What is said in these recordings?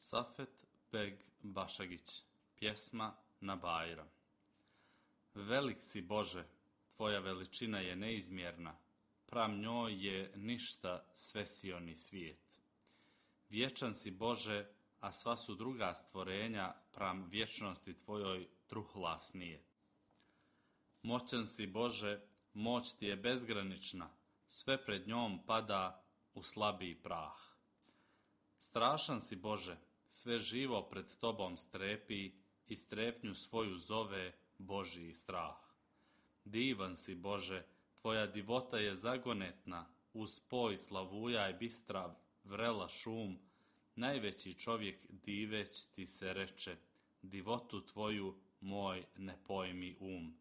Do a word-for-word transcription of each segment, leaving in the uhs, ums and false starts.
Safet Beg Bašagić, pjesma na Bajram. Velik si Bože, tvoja veličina je neizmjerna, pram njoj je ništa svesioni svijet. Vječan si Bože, a sva su druga stvorenja pram vječnosti tvojoj truhla snije. Moćan si Bože, moć ti je bezgranična, sve pred njom pada u slabiji prah. Strašan si Bože, sve živo pred tobom strepi i strepnju svoju zove Božji strah. Divan si Bože, tvoja divota je zagonetna, uz poj slavuja i bistra vrela šum, najveći čovjek diveć ti se reče, divotu tvoju moj ne pojmi um.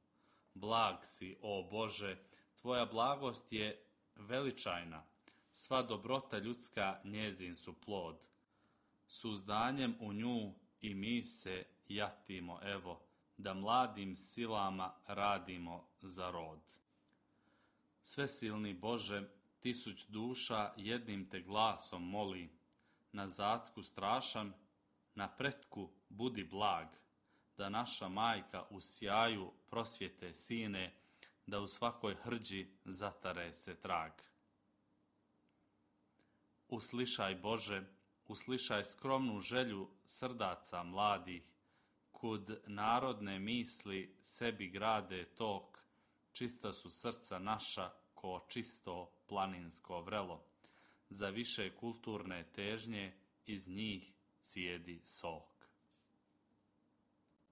Blag si, o Bože, tvoja blagost je veličajna, sva dobrota ljudska njezin su plod. Suzdanjem u nju i mi se jatimo, evo, da mladim silama radimo za rod. Svesilni Bože, tisuć duša jednim te glasom moli, na zatku strašan, na pretku budi blag, da naša majka u sjaju prosvjete sine, da u svakoj hrđi zatare se trag. Uslišaj Bože, uslišaj skromnu želju srdaca mladih, kud narodne misli sebi grade tok, čista su srca naša ko čisto planinsko vrelo, za više kulturne težnje iz njih cijedi sok.